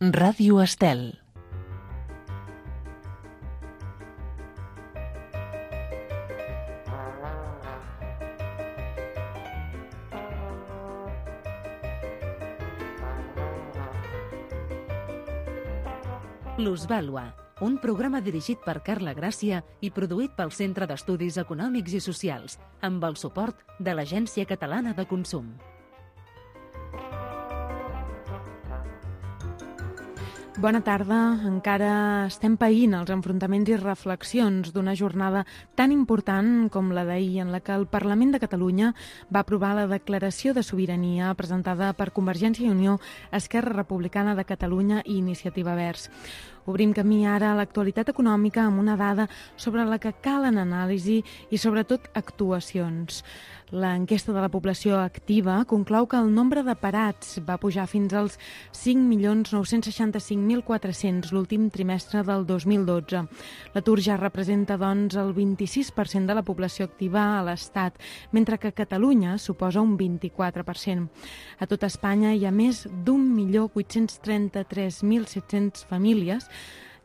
Ràdio Estel. Plusvàlua, un programa dirigit per Carla Gràcia i produït pel Centre d'Estudis Econòmics i Socials, amb el suport de l'Agència Catalana de Consum. Bona tarda. Encara estem païnt els enfrontaments i reflexions d'una jornada tan important com la d'ahir, en la que el Parlament de Catalunya va aprovar la declaració de sobirania presentada per Convergència i Unió, Esquerra Republicana de Catalunya i Iniciativa Verds. Obrim camí ara a l'actualitat econòmica amb una dada sobre la que calen anàlisi i, sobretot, actuacions. L'enquesta de la població activa conclou que el nombre de parats va pujar fins als 5.965.400 l'últim trimestre del 2012. L'atur ja representa, doncs, el 26% de la població activa a l'Estat, mentre que a Catalunya suposa un 24%. A tot Espanya hi ha més d'1.833.700 famílies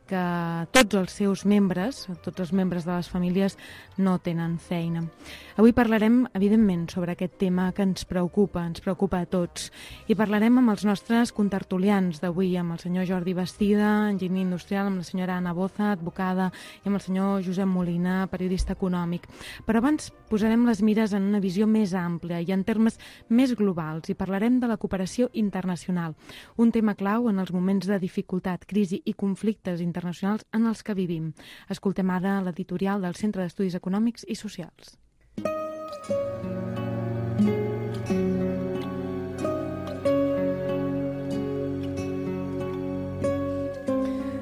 que tots els seus membres, tots els membres de les famílies, no tenen feina. Avui parlarem, evidentment, sobre aquest tema que ens preocupa a tots. I parlarem amb els nostres contertulians d'avui, amb el senyor Jordi Bastida, enginyer industrial, amb la senyora Anna Boza, advocada, i amb el senyor Josep Molina, periodista econòmic. Però abans posarem les mires en una visió més àmplia i en termes més globals i parlarem de la cooperació internacional, un tema clau en els moments de dificultat, crisi i conflictes internacionals en els que vivim. Escoltem ara l'editorial del Centre d'Estudis Econòmics i Socials.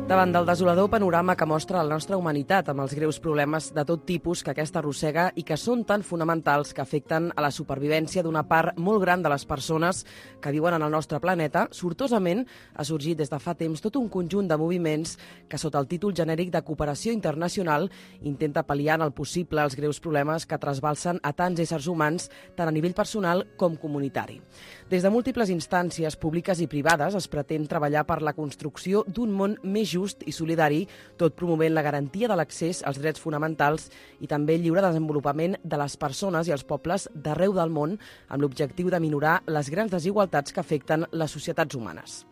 Davant del desolador panorama que mostra la nostra humanitat amb els greus problemes de tot tipus que aquesta arrossega i que són tan fonamentals que afecten a la supervivència d'una part molt gran de les persones que viuen en el nostre planeta, sortosament ha sorgit des de fa temps tot un conjunt de moviments que sota el títol genèric de cooperació internacional intenta pal·liar en el possible els greus problemes que trasbalsen a tants éssers humans tant a nivell personal com comunitari. Des de múltiples instàncies públiques i privades es pretén treballar per la construcció d'un món més just i solidari, tot promovent la garantia de l'accés als drets fonamentals i també el lliure desenvolupament de les persones i els pobles d'arreu del món amb l'objectiu de minorar les grans desigualtats que afecten les societats humanes.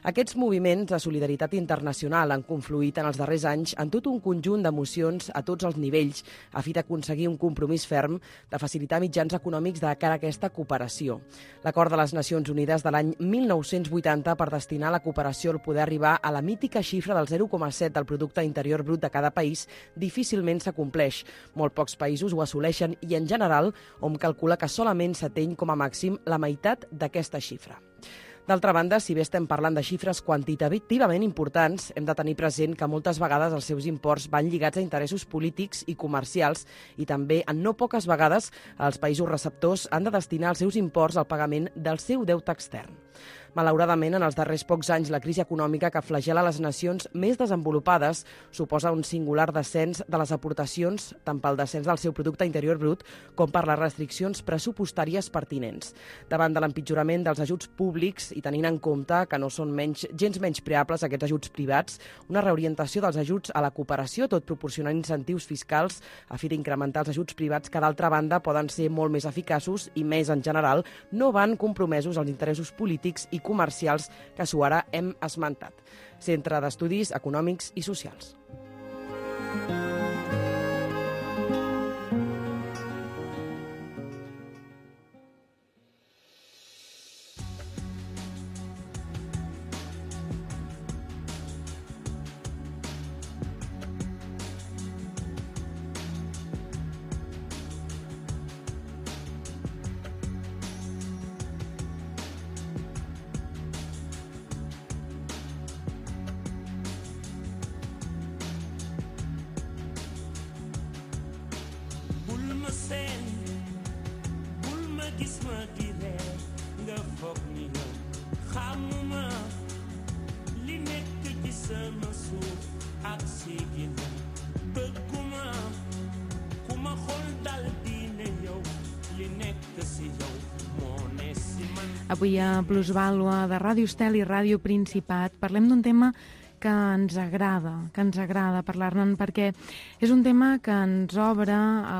Aquests moviments de solidaritat internacional han confluït en els darrers anys en tot un conjunt d'emocions a tots els nivells a fi d'aconseguir un compromís ferm de facilitar mitjans econòmics de cara a aquesta cooperació. L'Acord de les Nacions Unides de l'any 1980 per destinar la cooperació al poder arribar a la mítica xifra del 0,7 del producte interior brut de cada país difícilment s'acompleix. Molt pocs països ho assoleixen i, en general, hom calcula que solament s'ateny com a màxim la meitat d'aquesta xifra. D'altra banda, si bé estem parlant de xifres quantitativament importants, hem de tenir present que moltes vegades els seus imports van lligats a interessos polítics i comercials i també, en no poques vegades, els països receptors han de destinar els seus imports al pagament del seu deute extern. Malauradament, en els darrers pocs anys, la crisi econòmica que flagela les nacions més desenvolupades suposa un singular descens de les aportacions, tant pel descens del seu producte interior brut com per les restriccions pressupostàries pertinents. Davant de l'empitjorament dels ajuts públics i tenint en compte que no són gens menyspreables aquests ajuts privats, una reorientació dels ajuts a la cooperació, tot proporcionant incentius fiscals a fi d'incrementar els ajuts privats que, d'altra banda, poden ser molt més eficaços i, més en general, no van compromesos als interessos polítics i comercials que ara hem esmentat. Centre d'Estudis Econòmics i Socials. Avui a Plusvàlua de Ràdio Estel i Ràdio Principat parlem d'un tema que ens agrada parlar-ne, perquè és un tema que ens obre a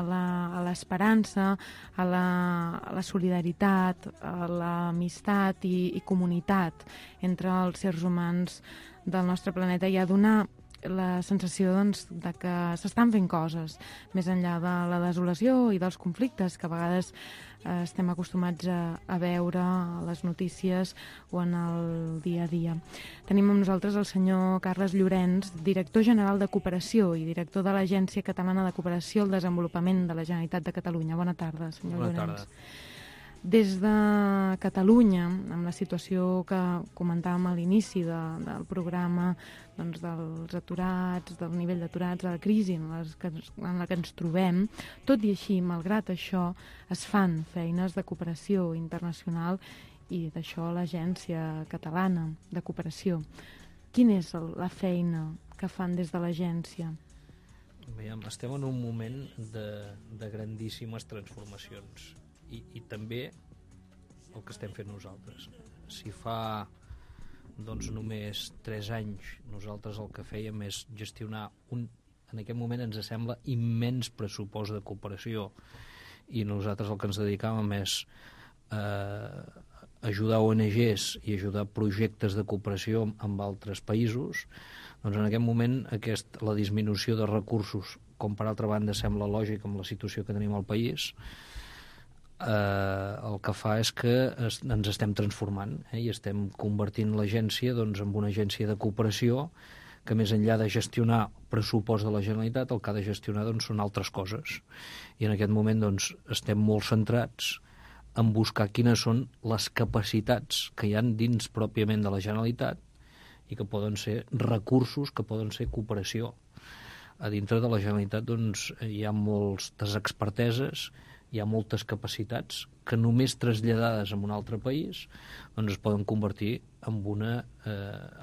l'esperança, a la solidaritat, a l'amistat i comunitat entre els éssers humans del nostre planeta i a donar la sensació de que s'estan fent coses més enllà de la desolació i dels conflictes que a vegades estem acostumats a veure a les notícies o en el dia a dia. Tenim amb nosaltres el senyor Carles Llorenç, director general de Cooperació i director de l'Agència Catalana de Cooperació al Desenvolupament de la Generalitat de Catalunya. Bona tarda, senyor Llorenç. Bona tarda. Des de Catalunya, amb la situació que comentàvem a l'inici del programa, doncs dels aturats, del nivell d'aturats, de la crisi en la que ens trobem, tot i així, malgrat això, es fan feines de cooperació internacional i d'això l'Agència Catalana de Cooperació. Quina és la feina que fan des de l'agència? Estem en un moment de grandíssimes transformacions. I també el que estem fent nosaltres. Si fa només 3 anys nosaltres el que fèiem és gestionar en aquest moment ens sembla immens pressupost de cooperació i nosaltres el que ens dedicàvem és ajudar ONGs i ajudar projectes de cooperació amb altres països, doncs en aquest moment la disminució de recursos, com per altra banda sembla lògic amb la situació que tenim al país, el que fa és que ens estem transformant i estem convertint l'agència en una agència de cooperació que més enllà de gestionar pressupost de la Generalitat el que ha de gestionar són altres coses i en aquest moment estem molt centrats en buscar quines són les capacitats que hi ha dins pròpiament de la Generalitat i que poden ser recursos, que poden ser cooperació. A dintre de la Generalitat hi ha moltes experteses, hi ha moltes capacitats que només traslladades a un altre país es poden convertir en una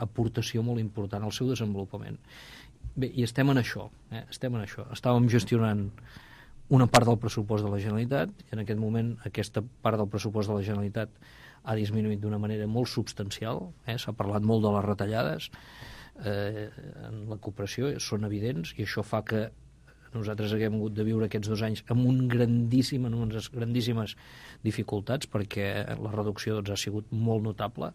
aportació molt important al seu desenvolupament. Bé, i estem en això. Estàvem gestionant una part del pressupost de la Generalitat i en aquest moment aquesta part del pressupost de la Generalitat ha disminuït d'una manera molt substancial. S'ha parlat molt de les retallades en la cooperació, són evidents i això fa que nosaltres haguem hagut de viure aquests 2 anys amb unes grandíssimes dificultats perquè la reducció ha sigut molt notable.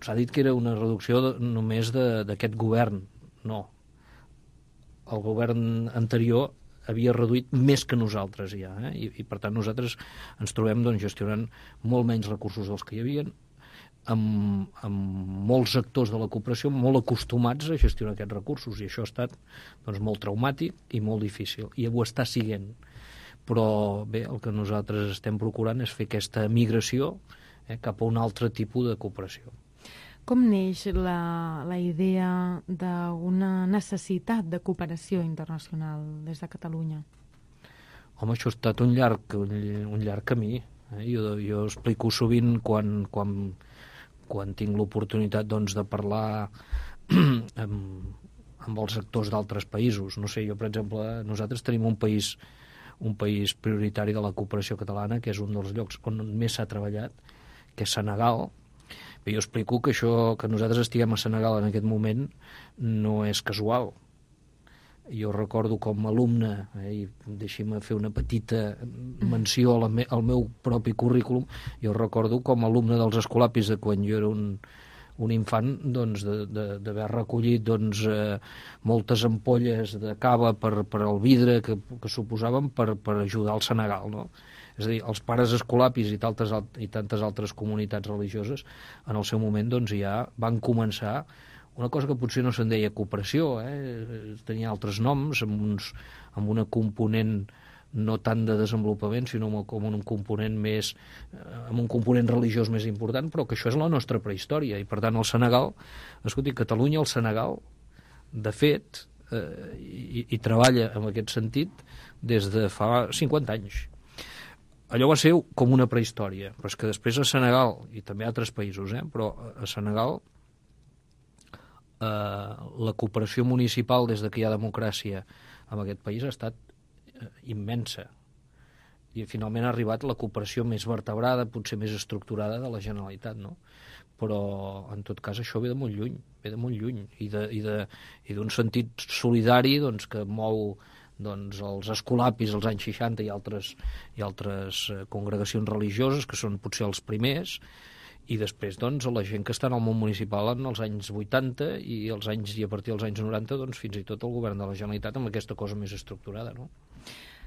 S'ha dit que era una reducció només d'aquest govern. No. El govern anterior havia reduït més que nosaltres ja, i per tant nosaltres ens trobem gestionant molt menys recursos dels que hi havia, amb molts actors de la cooperació molt acostumats a gestionar aquests recursos i això ha estat molt traumàtic i molt difícil i ho està siguent, però bé, el que nosaltres estem procurant és fer aquesta migració cap a un altre tipus de cooperació. Com neix la idea d'una necessitat de cooperació internacional des de Catalunya? Home, això ha estat un llarg camí. Jo explico sovint quan tinc l'oportunitat de parlar amb els actors d'altres països. No sé, jo, per exemple, nosaltres tenim un país prioritari de la cooperació catalana, que és un dels llocs on més s'ha treballat, que és Senegal. Jo explico que això que nosaltres estiguem a Senegal en aquest moment no és casual. Jo recordo com a alumne, i deixi'm fer una petita menció al meu propi currículum, jo recordo com a alumne dels Escolapis de quan jo era un infant d'haver recollit moltes ampolles de cava per al vidre que suposaven per ajudar al Senegal, no? És a dir, els pares escolapis i tantes altres comunitats religioses en el seu moment ja van començar una cosa que potser no se'n deia cooperació, tenia altres noms, amb una component no tant de desenvolupament, sinó com un component més, amb un component religiós més important, però que això és la nostra prehistòria. I per tant el Senegal, escolti, Catalunya, el Senegal, de fet, i treballa en aquest sentit des de fa 50 anys. Allò va ser com una prehistòria, però és que després a Senegal, i també a altres països, però a Senegal la cooperació municipal des que hi ha democràcia en aquest país ha estat immensa I finalment ha arribat la cooperació més vertebrada, potser més estructurada de la Generalitat, no? Però en tot cas això ve de molt lluny, i d'un sentit solidari doncs, que mou els escolapis als anys 60 i altres congregacions religioses, que són potser els primers, i després doncs, la gent que està en el món municipal en els anys 80 i a partir dels anys 90 doncs, fins i tot el govern de la Generalitat amb aquesta cosa més estructurada, no?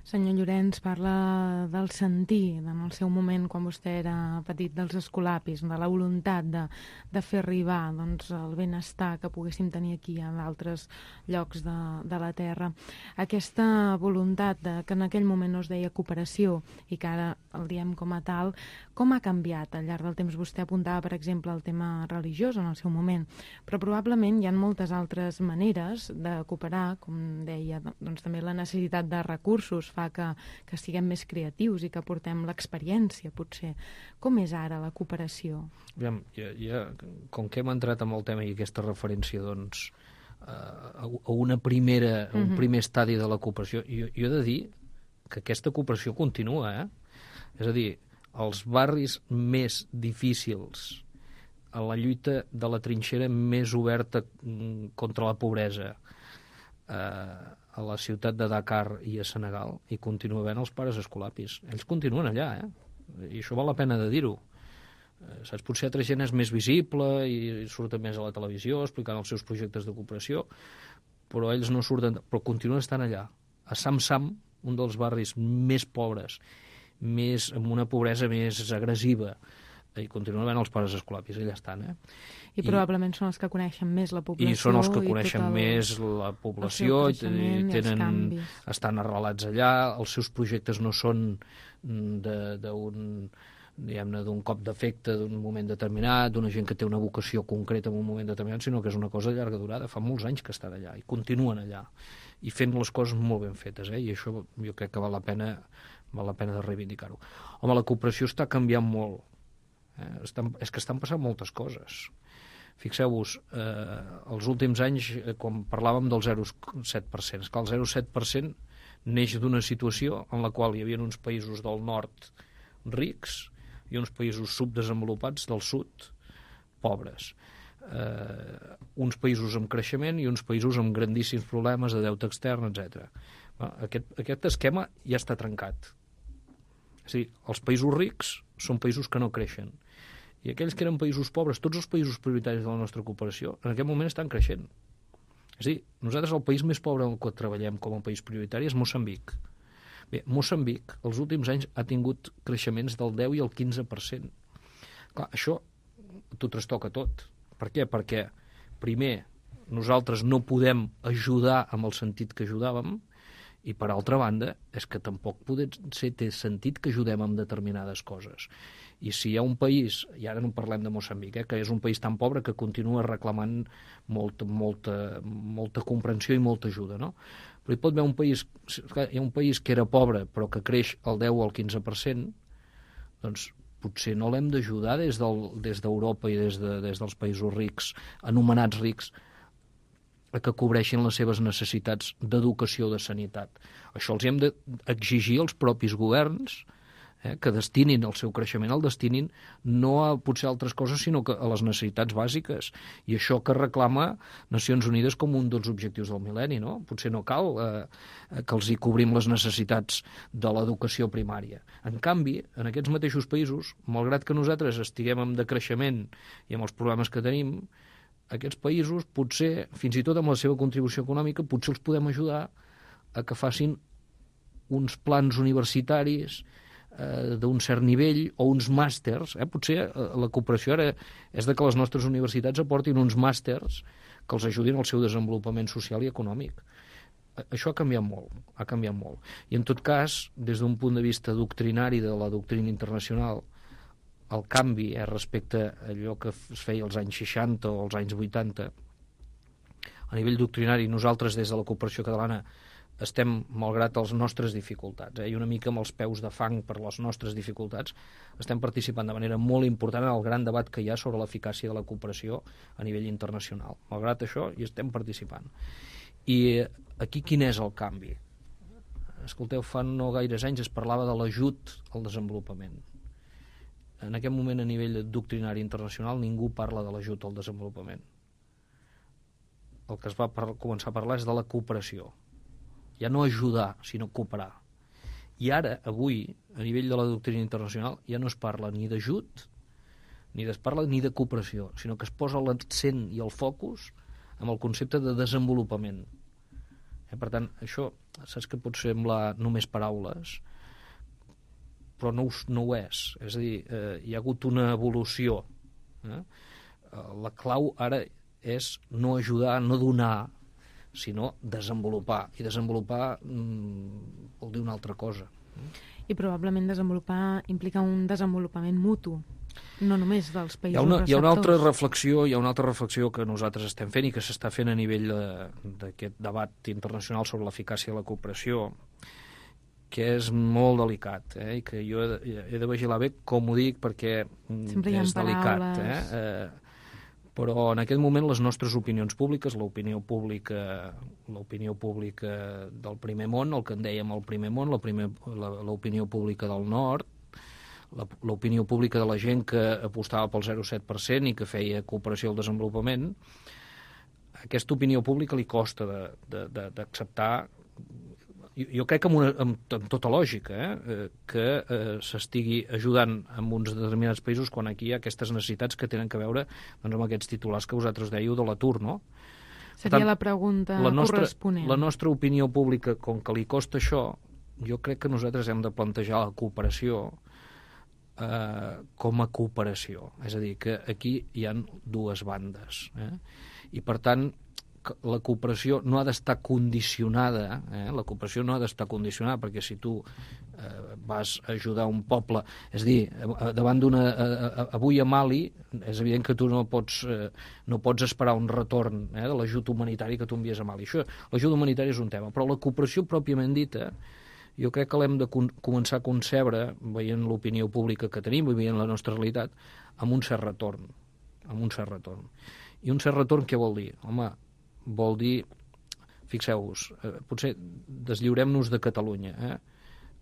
Senyor Llorenç, parla del sentir en el seu moment, quan vostè era petit, dels escolapis, de la voluntat de fer arribar doncs, el benestar que poguéssim tenir aquí en altres llocs de la Terra. Aquesta voluntat que en aquell moment no es deia cooperació i que ara el diem com a tal, com ha canviat al llarg del temps? Vostè apuntava, per exemple, el tema religiós en el seu moment, però probablement hi ha moltes altres maneres de cooperar, com deia, doncs també la necessitat de recursos fa que siguem més creatius i que portem l'experiència, potser. Com és ara la cooperació? Aviam, com que hem entrat en el tema i aquesta referència doncs, a un primer estadi de la cooperació, jo he de dir que aquesta cooperació continua, És a dir, els barris més difícils, a la lluita de la trinxera més oberta contra la pobresa, a la ciutat de Dakar i a Senegal, hi continua havent els pares escolapis. Ells continuen allà, i això val la pena de dir-ho. Saps, potser altra gent és més visible i surten més a la televisió explicant els seus projectes de cooperació, però ells no surten, però continuen estant allà. A Sam, un dels barris més pobres, amb una pobresa més agressiva, i continuen havent els pares escolapis, allà estan, I probablement són els que coneixen més la població. I són els que coneixen més la població, estan arrelats allà, els seus projectes no són d'un cop d'efecte, d'un moment determinat, d'una gent que té una vocació concreta en un moment determinat, sinó que és una cosa de llarga durada. Fa molts anys que estan allà i continuen allà, i fent les coses molt ben fetes, i això jo crec que val la pena de reivindicar-ho. Home, la cooperació està canviant molt. És que estan passant moltes coses. Fixeu-vos, els últims anys, quan parlàvem del 0,7%, és que el 0,7% neix d'una situació en la qual hi havia uns països del nord rics i uns països subdesenvolupats del sud pobres. Uns països amb creixement i uns països amb grandíssims problemes de deute extern, etc. Aquest esquema ja està trencat. És a dir, els països rics són països que no creixen. I aquells que eren països pobres, tots els països prioritaris de la nostra cooperació, en aquest moment estan creixent. És a dir, nosaltres el país més pobre en el que treballem com a país prioritari és Moçambic. Bé, Moçambic, els últims anys, ha tingut creixements del 10 i el 15%. Clar, això t'ho trastoca tot. Per què? Perquè, primer, nosaltres no podem ajudar amb el sentit que ajudàvem, i, per altra banda, és que tampoc té sentit que ajudem amb determinades coses. I si hi ha un país, i ara no parlem de Moçambic, que és un país tan pobre que continua reclamant molta comprensió i molta ajuda, no? Però hi pot haver hi ha un país que era pobre però que creix el 10 o el 15%, doncs potser no l'hem d'ajudar des d'Europa i des dels països rics, anomenats rics, que cobreixin les seves necessitats d'educació o de sanitat. Això els hem d'exigir als propis governs, que destinin el seu creixement, el destinin no a potser altres coses, sinó que a les necessitats bàsiques. I això que reclama Nacions Unides com un dels objectius del mil·lenni, no? Potser no cal que els hi cobrim les necessitats de l'educació primària. En canvi, en aquests mateixos països, malgrat que nosaltres estiguem en decreixement i amb els problemes que tenim, aquests països, potser, fins i tot amb la seva contribució econòmica, potser els podem ajudar a que facin uns plans universitaris d'un cert nivell o uns màsters. Potser la cooperació ara és de que les nostres universitats aportin uns màsters que els ajudin al seu desenvolupament social i econòmic. Això ha canviat molt. I en tot cas, des d'un punt de vista doctrinari de la doctrina internacional, el canvi respecte a allò que es feia als anys 60 o als anys 80, a nivell doctrinari, nosaltres des de la cooperació catalana estem, malgrat les nostres dificultats, i una mica amb els peus de fang per les nostres dificultats, estem participant de manera molt important en el gran debat que hi ha sobre l'eficàcia de la cooperació a nivell internacional. Malgrat això, hi estem participant. I aquí quin és el canvi? escolteu, fa no gaires anys es parlava de l'ajut al desenvolupament. En aquest moment, a nivell doctrinari internacional, ningú parla de l'ajut al desenvolupament. El que es va començar a parlar és de la cooperació. Ja no ajudar, sinó cooperar. I ara, avui, a nivell de la doctrina internacional, ja no es parla ni d'ajut, ni es parla ni de cooperació, sinó que es posa l'accent i el focus amb el concepte de desenvolupament. Per tant, això, saps que pot semblar només paraules, però no ho és. És a dir, hi ha hagut una evolució. La clau ara és no ajudar, no donar, sinó desenvolupar. I desenvolupar vol dir una altra cosa. I probablement desenvolupar implica un desenvolupament mutu, no només dels països receptors. Hi ha una altra reflexió que nosaltres estem fent i que s'està fent a nivell d'aquest debat internacional sobre l'eficàcia de la cooperació, que és molt delicat, i que jo he de vigilar bé com ho dic, perquè és delicat. Però en aquest moment les nostres opinions públiques, l'opinió pública del primer món, el que en dèiem el primer món, l'opinió pública del nord, l'opinió pública de la gent que apostava pel 0,7% i que feia cooperació al desenvolupament, aquesta opinió pública li costa d'acceptar, jo crec que amb tota lògica, que s'estigui ajudant en uns determinats països quan aquí hi ha aquestes necessitats que tenen que veure amb aquests titulars que vosaltres dèieu de l'atur, no? Seria la pregunta corresponent. La nostra opinió pública, com que li costa això, jo crec que nosaltres hem de plantejar la cooperació com a cooperació. És a dir, que aquí hi ha dues bandes. I, per tant, la cooperació no ha d'estar condicionada, la cooperació no ha d'estar condicionada, perquè si tu vas a ajudar un poble, és a dir, davant avui a Mali, és evident que tu no pots esperar un retorn de l'ajut humanitari que tu envies a Mali. L'ajut humanitari és un tema, però la cooperació pròpiament dita, jo crec que l'hem de començar a concebre, veient l'opinió pública que tenim i veient la nostra realitat, amb un cert retorn. I un cert retorn què vol dir? Home, vol dir, fixeu-vos, potser deslliurem-nos de Catalunya.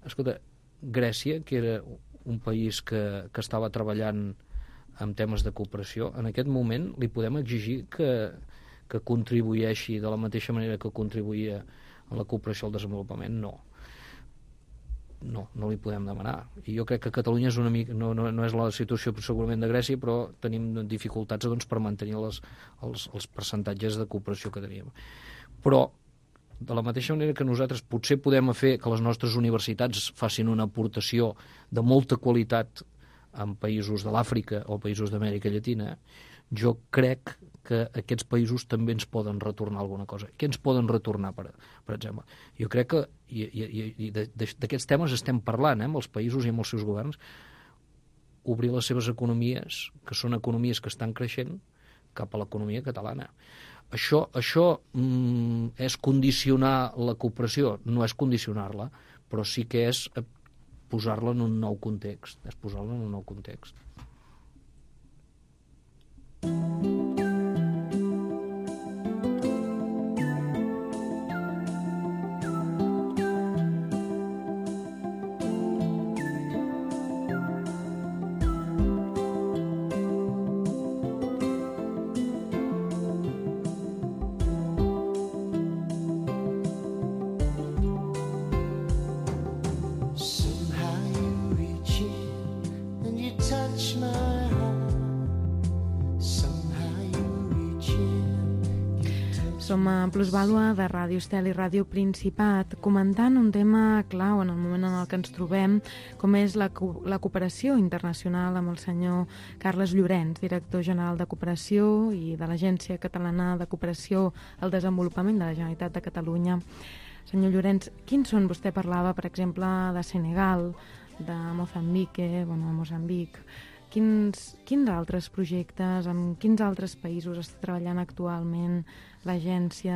Escolta, Grècia, que era un país que estava treballant en temes de cooperació, en aquest moment li podem exigir que contribueixi de la mateixa manera que contribuïa a la cooperació al desenvolupament? No li podem demanar. I jo crec que Catalunya és una mica, no és la situació segurament de Grècia, però tenim dificultats per mantenir els percentatges de cooperació que teníem. Però, de la mateixa manera que nosaltres potser podem fer que les nostres universitats facin una aportació de molta qualitat en països de l'Àfrica o països d'Amèrica Llatina, jo crec que aquests països també ens poden retornar alguna cosa. Què ens poden retornar, per exemple? Jo crec que, i d'aquests temes estem parlant, amb els països i amb els seus governs, obrir les seves economies, que són economies que estan creixent, cap a l'economia catalana. Això és condicionar la cooperació? No és condicionar-la, però sí que és posar-la en un nou context. Som a Plusvàlua de Ràdio Estel i Ràdio Principat, comentant un tema clau en el moment en el que ens trobem, com és la cooperació internacional amb el senyor Carles Llorenç, director general de Cooperació i de l'Agència Catalana de Cooperació al Desenvolupament de la Generalitat de Catalunya. Senyor Llorenç, quins són, vostè parlava, per exemple, de Senegal, de Moçambic, quins altres projectes, en quins altres països està treballant actualment l'Agència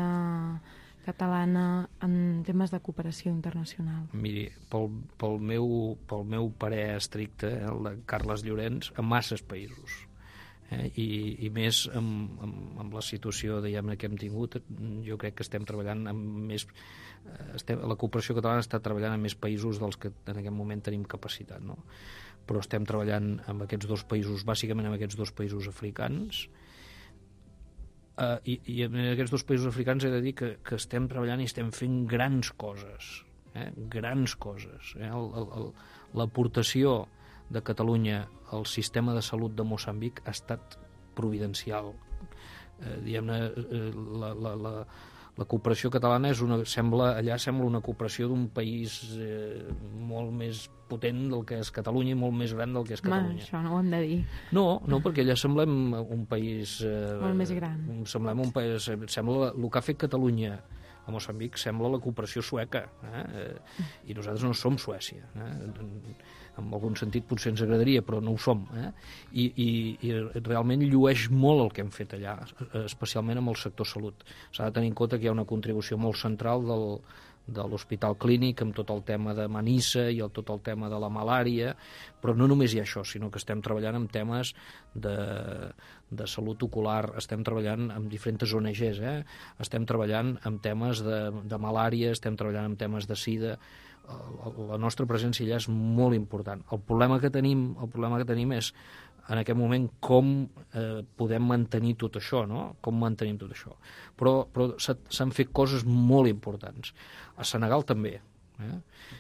Catalana en temes de cooperació internacional? Miri, pel meu parer estricte, el de Carles Llorenç, en masses països. I més amb la situació diguem-ne que hem tingut, jo crec que estem treballant amb més... La cooperació catalana està treballant en més països dels que en aquest moment tenim capacitat, no? Però estem treballant amb aquests dos països, bàsicament amb aquests dos països africans, i en aquests dos països africans he de dir que estem treballant i estem fent grans coses, grans coses. L'aportació de Catalunya al sistema de salut de Moçambic ha estat providencial. Diguem-ne, la cooperació catalana allà sembla una cooperació d'un país molt més potent del que és Catalunya i molt més gran del que és Catalunya. Això no ho hem de dir. No, perquè allà semblem un país... molt més gran. Semblem un país... Sembla el que ha fet Catalunya a Moçambic sembla la cooperació sueca, i nosaltres no som Suècia. En algun sentit potser ens agradaria, però no ho som. I realment llueix molt el que hem fet allà, especialment amb el sector salut. S'ha de tenir en compte que hi ha una contribució molt central de l'hospital clínic amb tot el tema de Manissa i tot el tema de la malària, però no només hi ha això, sinó que estem treballant en temes de salut ocular, estem treballant amb diferents ONGs, estem treballant en temes de malària, estem treballant en temes de sida. La nostra presència allà és molt important. El problema que tenim és en aquest moment com podem mantenir tot això, no? Com mantenim tot això. Però s'han fet coses molt importants. A Senegal també.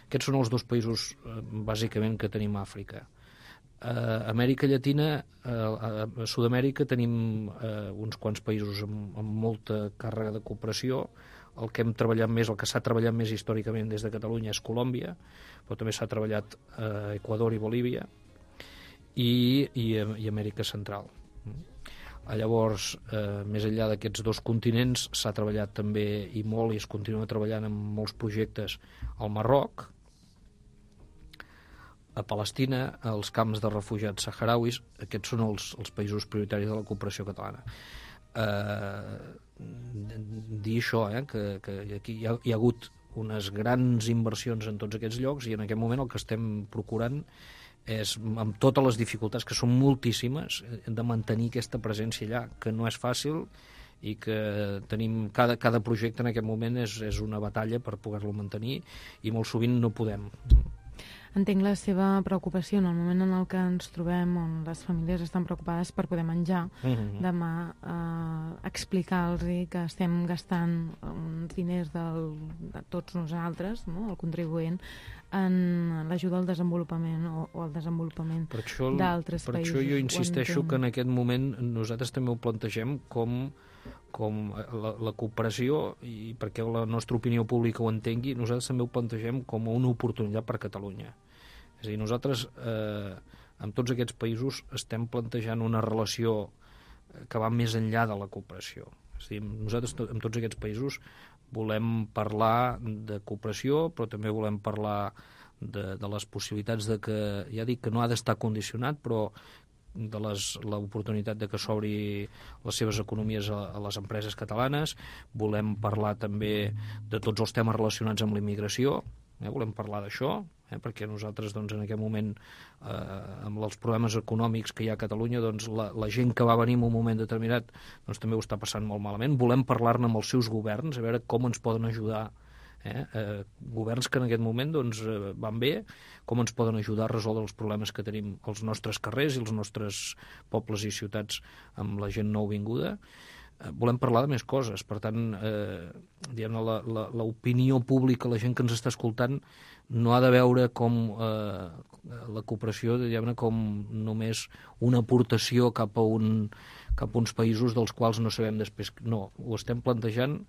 Aquests són els dos països bàsicament que tenim a Àfrica. A Amèrica Llatina, a Sud-amèrica tenim uns quants països amb molta càrrega de cooperació. El que hem treballat més, el que s'ha treballat més històricament des de Catalunya és Colòmbia, però també s'ha treballat a Equador i Bolívia, i Amèrica Central. Llavors, més enllà d'aquests dos continents, s'ha treballat també i molt, i es continua treballant en molts projectes al Marroc, a Palestina, als camps de refugiats saharauis. Aquests són els països prioritaris de la cooperació catalana. Dir això, que aquí hi ha hagut unes grans inversions en tots aquests llocs, i en aquest moment el que estem procurant és, amb totes les dificultats, que són moltíssimes, de mantenir aquesta presència allà, que no és fàcil, i que tenim cada projecte en aquest moment és una batalla per poder-lo mantenir, i molt sovint no podem. Entenc la seva preocupació en el moment en el que ens trobem, on les famílies estan preocupades per poder menjar. Demà explicar-los que estem gastant uns diners de tots nosaltres, no? El contribuent, en l'ajuda al desenvolupament o al desenvolupament d'altres països. Per això jo insisteixo que en aquest moment nosaltres també ho plantegem com la cooperació, i perquè la nostra opinió pública ho entengui, nosaltres també ho plantegem com una oportunitat per Catalunya. És a dir, nosaltres amb tots aquests països estem plantejant una relació que va més enllà de la cooperació. És a dir, nosaltres amb tots aquests països volem parlar de cooperació, però també volem parlar de les possibilitats de que, ja dic que no ha d'estar condicionat, però de l'oportunitat de que s'obri les seves economies a les empreses catalanes. Volem parlar també de tots els temes relacionats amb la immigració, volem parlar d'això, perquè nosaltres en aquest moment, amb els problemes econòmics que hi ha a Catalunya, la gent que va venir en un moment determinat també ho està passant molt malament. Volem parlar-ne amb els seus governs, a veure com ens poden ajudar, governs que en aquest moment van bé, com ens poden ajudar a resoldre els problemes que tenim als nostres carrers i als nostres pobles i ciutats amb la gent nouvinguda. Volem parlar de més coses. Per tant, l'opinió pública, la gent que ens està escoltant, no ha de veure com la cooperació com només una aportació cap a uns països dels quals no sabem després. No, ho estem plantejant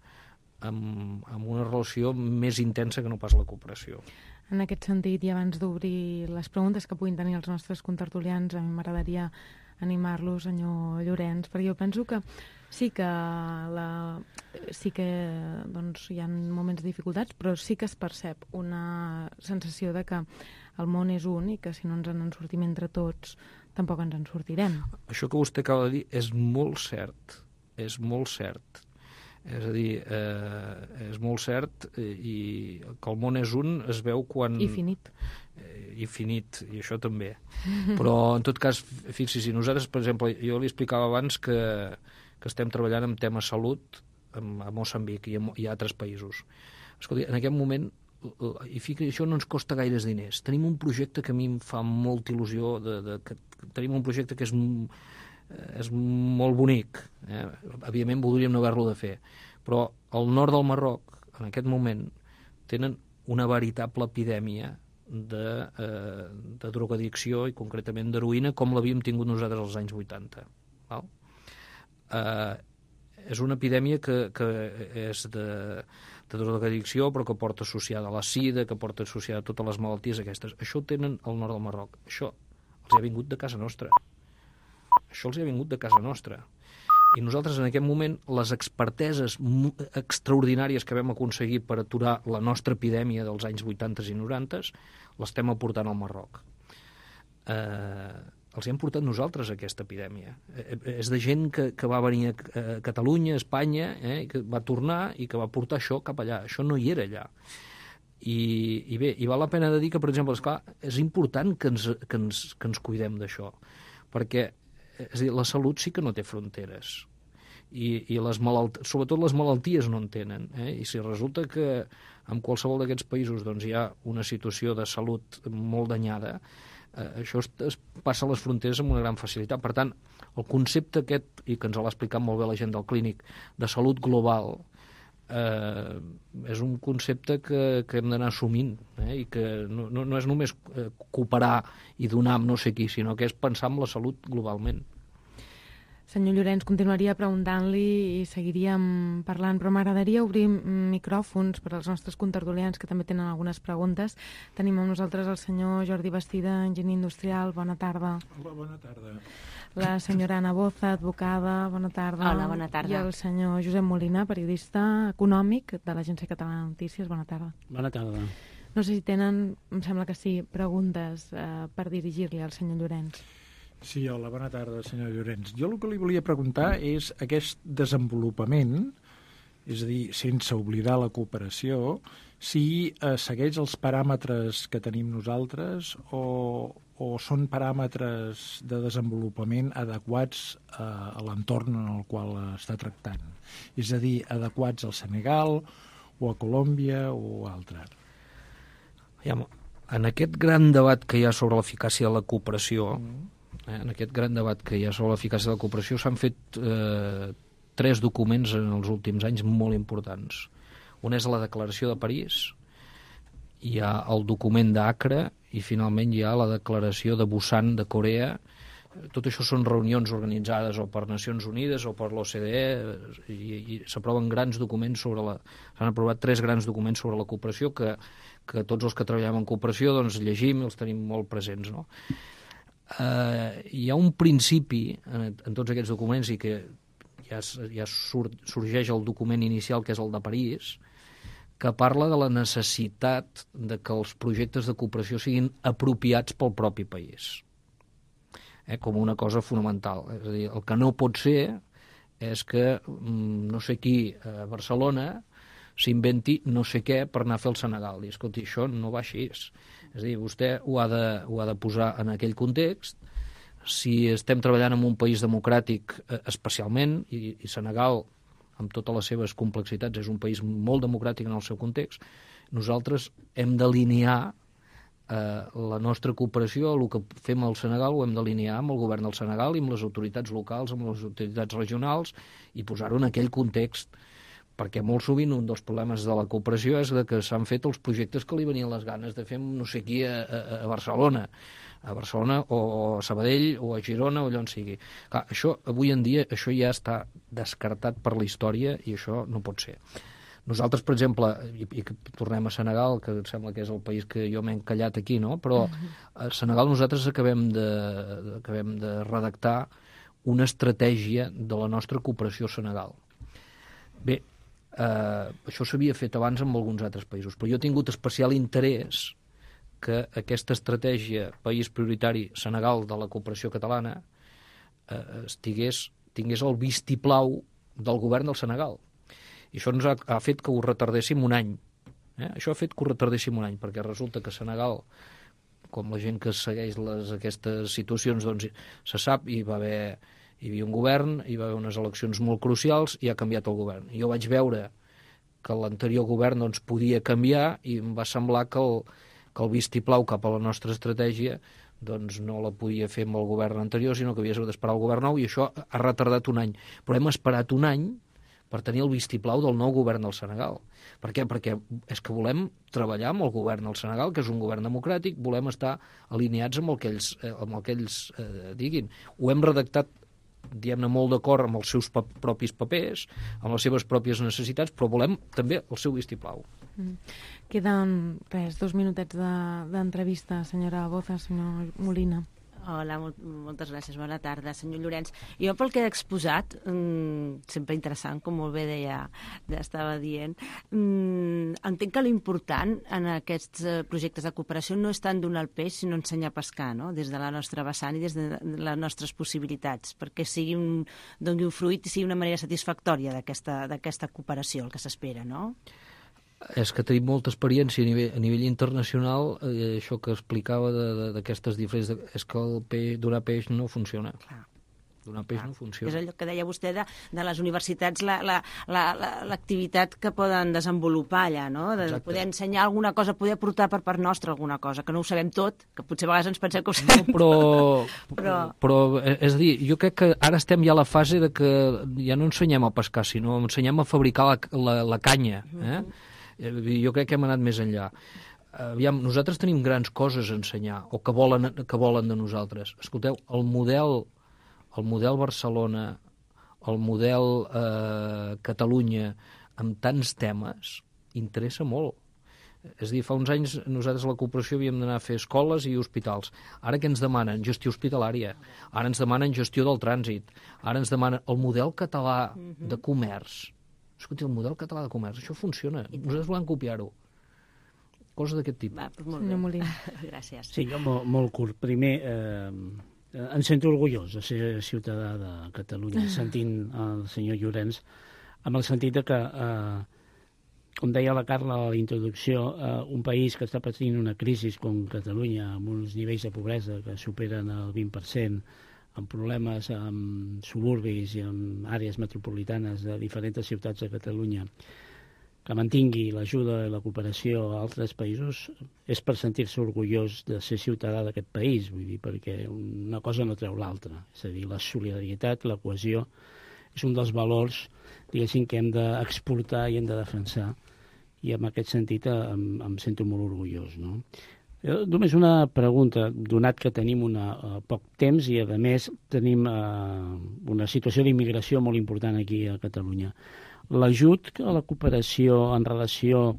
amb una relació més intensa que no pas la cooperació. En aquest sentit, i abans d'obrir les preguntes que puguin tenir els nostres contertulians, a mi m'agradaria animar-los, senyor Llorenç, perquè jo penso que sí que hi ha moments de dificultats, però sí que es percep una sensació de que el món és un i que si no ens en sortim entre tots tampoc ens en sortirem. Això que vostè acaba de dir és molt cert, és molt cert. És a dir, és molt cert i que el món és un es veu quan... I finit. I finit, i això també. Però, en tot cas, fixi-s'hi, nosaltres, per exemple, jo li explicava abans que estem treballant en tema salut a Moçambic i a altres països. Escolti, en aquest moment, i això no ens costa gaires diners. Tenim un projecte que a mi em fa molta il·lusió, tenim un projecte que és molt bonic. Evidentment voldríem no haver-lo de fer, però al nord del Marroc, en aquest moment, tenen una veritable epidèmia de drogadicció i concretament d'heroïna, com l'havíem tingut nosaltres als anys 80. Val? És una epidèmia que és de drogadicció, però que porta associada a la sida, que porta associada a totes les malalties aquestes. Això ho tenen al nord del Marroc. Això els ha vingut de casa nostra. Això els ha vingut de casa nostra. I nosaltres, en aquest moment, les experteses extraordinàries que vam aconseguir per aturar la nostra epidèmia dels anys 80 i 90 l'estem aportant al Marroc. Els hem portat nosaltres, aquesta epidèmia. És de gent que va venir a Catalunya, a Espanya, que va tornar i que va portar això cap allà. Això no hi era allà. I bé, i val la pena de dir que, per exemple, esclar, és important que ens cuidem d'això, perquè és a dir, la salut sí que no té fronteres i sobretot les malalties no en tenen. I si resulta que en qualsevol d'aquests països doncs, hi ha una situació de salut molt danyada, això es passa a les fronteres amb una gran facilitat. Per tant, el concepte aquest, i que ens l'ha explicat molt bé la gent del Clínic, de salut global, és un concepte que hem d'anar assumint, i que no és només cooperar i donar amb no sé qui, sinó que és pensar en la salut globalment. Senyor Llorenç, continuaria preguntant-li i seguiríem parlant, però m'agradaria obrir micròfons per als nostres contertulians que també tenen algunes preguntes. Tenim amb nosaltres el senyor Jordi Bastida, enginyer industrial. Bona tarda. Hola, bona tarda. La senyora Ana Boza, advocada. Bona tarda. Hola, bona tarda. I el senyor Josep Molina, periodista econòmic de l'Agència Catalana de Notícies. Bona tarda. Bona tarda. No sé si tenen, em sembla que sí, preguntes per dirigir-li al senyor Llorenç. Sí, hola, bona tarda, senyor Llorenç. Jo el que li volia preguntar és aquest desenvolupament, és a dir, sense oblidar la cooperació, si segueix els paràmetres que tenim nosaltres o són paràmetres de desenvolupament adequats a l'entorn en el qual està tractant. És a dir, adequats al Senegal o a Colòmbia o altre. En aquest gran debat que hi ha sobre l'eficàcia de la cooperació, s'han fet 3 documents en els últims anys molt importants. Un és la Declaració de París, hi ha el document d'Acre i finalment hi ha la Declaració de Busan de Corea. Tot això són reunions organitzades o per Nacions Unides o per l'OCDE i s'aproven grans documents s'han aprovat 3 grans documents sobre la cooperació que tots els que treballem en cooperació doncs llegim i els tenim molt presents, no? Hi ha un principi en tots aquests documents i que ja sorgeix el document inicial, que és el de París, que parla de la necessitat de que els projectes de cooperació siguin apropiats pel propi país, com una cosa fonamental. És a dir, el que no pot ser és que no sé qui a Barcelona s'inventi no sé què per anar a fer el Senegal. I, escolti, això no va així. És a dir, vostè ho ha de posar en aquell context. Si estem treballant en un país democràtic especialment, i Senegal, amb totes les seves complexitats, és un país molt democràtic en el seu context, nosaltres hem d'alinear la nostra cooperació, el que fem al Senegal ho hem d'alinear amb el govern del Senegal i amb les autoritats locals, amb les autoritats regionals, i posar-ho en aquell context, perquè molt sovint un dels problemes de la cooperació és que s'han fet els projectes que li venien les ganes de fer no sé qui a Barcelona o a Sabadell o a Girona o allà on sigui. Clar, això, avui en dia, això ja està descartat per la història i això no pot ser. Nosaltres, per exemple, i tornem a Senegal, que em sembla que és el país que jo m'he encallat aquí, no? Però a Senegal nosaltres acabem de redactar una estratègia de la nostra cooperació a Senegal. Bé, això s'havia fet abans en alguns altres països, però jo he tingut especial interès que aquesta estratègia País Prioritari Senegal de la cooperació catalana tingués el vistiplau del govern del Senegal. I això ens ha fet que ho retardéssim un any. Això ha fet que ho retardéssim un any, perquè resulta que Senegal, com la gent que segueix aquestes situacions, doncs se sap, hi havia un govern, hi va haver unes eleccions molt crucials i ha canviat el govern. Jo vaig veure que l'anterior govern doncs, podia canviar i em va semblar que el vistiplau cap a la nostra estratègia doncs no la podia fer amb el govern anterior, sinó que havia d'esperar el govern nou, i això ha retardat un any. Però hem esperat un any per tenir el vistiplau del nou govern del Senegal. Per què? Perquè és que volem treballar amb el govern del Senegal, que és un govern democràtic, volem estar alineats amb el que ells diguin. Ho hem redactat, diguem-ne, molt d'acord amb els seus propis papers, amb les seves pròpies necessitats, però volem també el seu vistiplau. Queden, 2 minutets d'entrevista, senyora Boza, senyor Molina. Hola, moltes gràcies. Bona tarda, senyor Llorenç. Jo, pel que he exposat, sempre interessant, com molt bé estava dient, entenc que l'important en aquests projectes de cooperació no és tant donar el peix, sinó ensenyar a pescar, no?, des de la nostra vessant i des de les nostres possibilitats, perquè doni un fruit i sigui una manera satisfactòria d'aquesta cooperació, el que s'espera, no? És que tenim molta experiència a nivell internacional, això que explicava d'aquestes diferents... És que donar peix no funciona. Clar. Donar peix no funciona. És allò que deia vostè de les universitats, l'activitat que poden desenvolupar allà, no? De poder ensenyar alguna cosa, poder aportar per part nostra alguna cosa, que no ho sabem tot, que potser a vegades ens pensem que ho sabem però és a dir, jo crec que ara estem ja a la fase de que ja no ensenyem a pescar, sinó ensenyem a fabricar la canya, Jo crec que hem anat més enllà. Aviam, nosaltres tenim grans coses a ensenyar, o que volen de nosaltres. Escolteu, el model Barcelona, el model Catalunya, amb tants temes, interessa molt. És a dir, fa uns anys nosaltres a la cooperació havíem d'anar a fer escoles i hospitals. Ara què ens demanen? Gestió hospitalària. Ara ens demanen gestió del trànsit. Ara ens demanen el model català de comerç. Escolti, el model català de comerç, això funciona. Nosaltres volem copiar-ho. Coses d'aquest tipus. Molt bé. Gràcies. Sí, jo molt curt. Primer, em sento orgullós de ser ciutadà de Catalunya, sentint el senyor Llorenç, amb el sentit que, com deia la Carla a la introducció, un país que està patint una crisi com Catalunya, amb uns nivells de pobresa que superen el 20%, amb problemes amb suburbis i amb àrees metropolitanes de diferents ciutats de Catalunya, que mantingui l'ajuda i la cooperació a altres països, és per sentir-se orgullós de ser ciutadà d'aquest país, vull dir, perquè una cosa no treu l'altra. És a dir, la solidaritat, la cohesió, és un dels valors, diguéssim, que hem d'exportar i hem de defensar, i en aquest sentit em sento molt orgullós, no? Només una pregunta, donat que tenim poc temps i, a més, tenim una situació d'immigració molt important aquí a Catalunya. L'ajut a la cooperació en relació